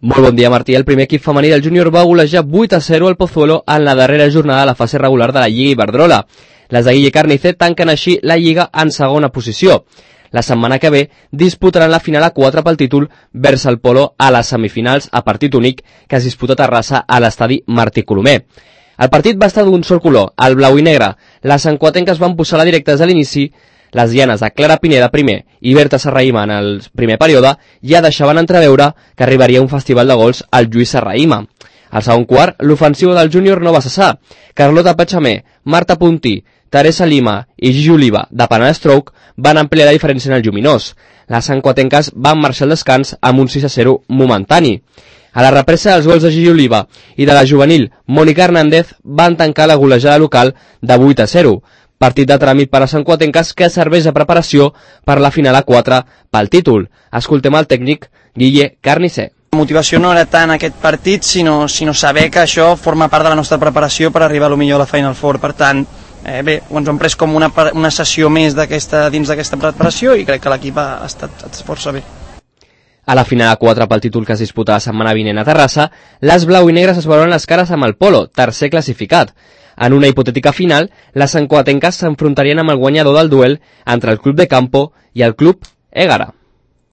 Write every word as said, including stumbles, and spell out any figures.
Molt bon dia, Martí. El primer equip femení del júnior va golejar vuit a zero al Pozuelo en la darrera jornada de la fase regular de la Lliga Iberdrola. Les de Guille Carnicer tanquen així la Lliga en segona posició. La setmana que ve disputaran la final a quatre pel títol vers el Polo a les semifinals a partit únic que es disputa a Terrassa a l'estadi Martí Colomer. El partit va estar d'un sol color, el blau i negre. Les sancuatenques van posar la directa des de l'inici. Les dianes de Clara Pineda primer i Berta Serrahima en el primer període ja deixaven entreveure que arribaria un festival de gols al Lluís Serrahima. Al segon quart, l'ofensiva del júnior no va cessar. Carlota Pachamé, Marta Puntí, Teresa Lima i Gigi Oliva de Penal-Stroke van ampliar la diferència en el lluminós. Les sancuatenques van marxar al descans amb un sis a zero momentani. A la represa dels gols de Gigi Oliva i de la juvenil Mònica Hernández van tancar la golejada local de vuit a zero. Partit de tràmit per a sancuatenques que serveix de preparació per la final a quatre pel títol. Escoltem el tècnic Guille Carnicer. La motivació no era tant aquest partit, sinó, sinó saber que això forma part de la nostra preparació per arribar a lo millor a la Final Four. Per tant, eh, bé, ens ho hem pres com una, una sessió més d'aquesta dins d'aquesta preparació i crec que l'equip ha estat força bé. A la final a quatre pel títol que es disputa la setmana vinent a Terrassa, les blau i negres es veuran les cares amb el Polo, tercer classificat. En una hipotètica final, les sancuatenques s'enfrontarien amb el guanyador del duel entre el Club de Campo i el Club Égara.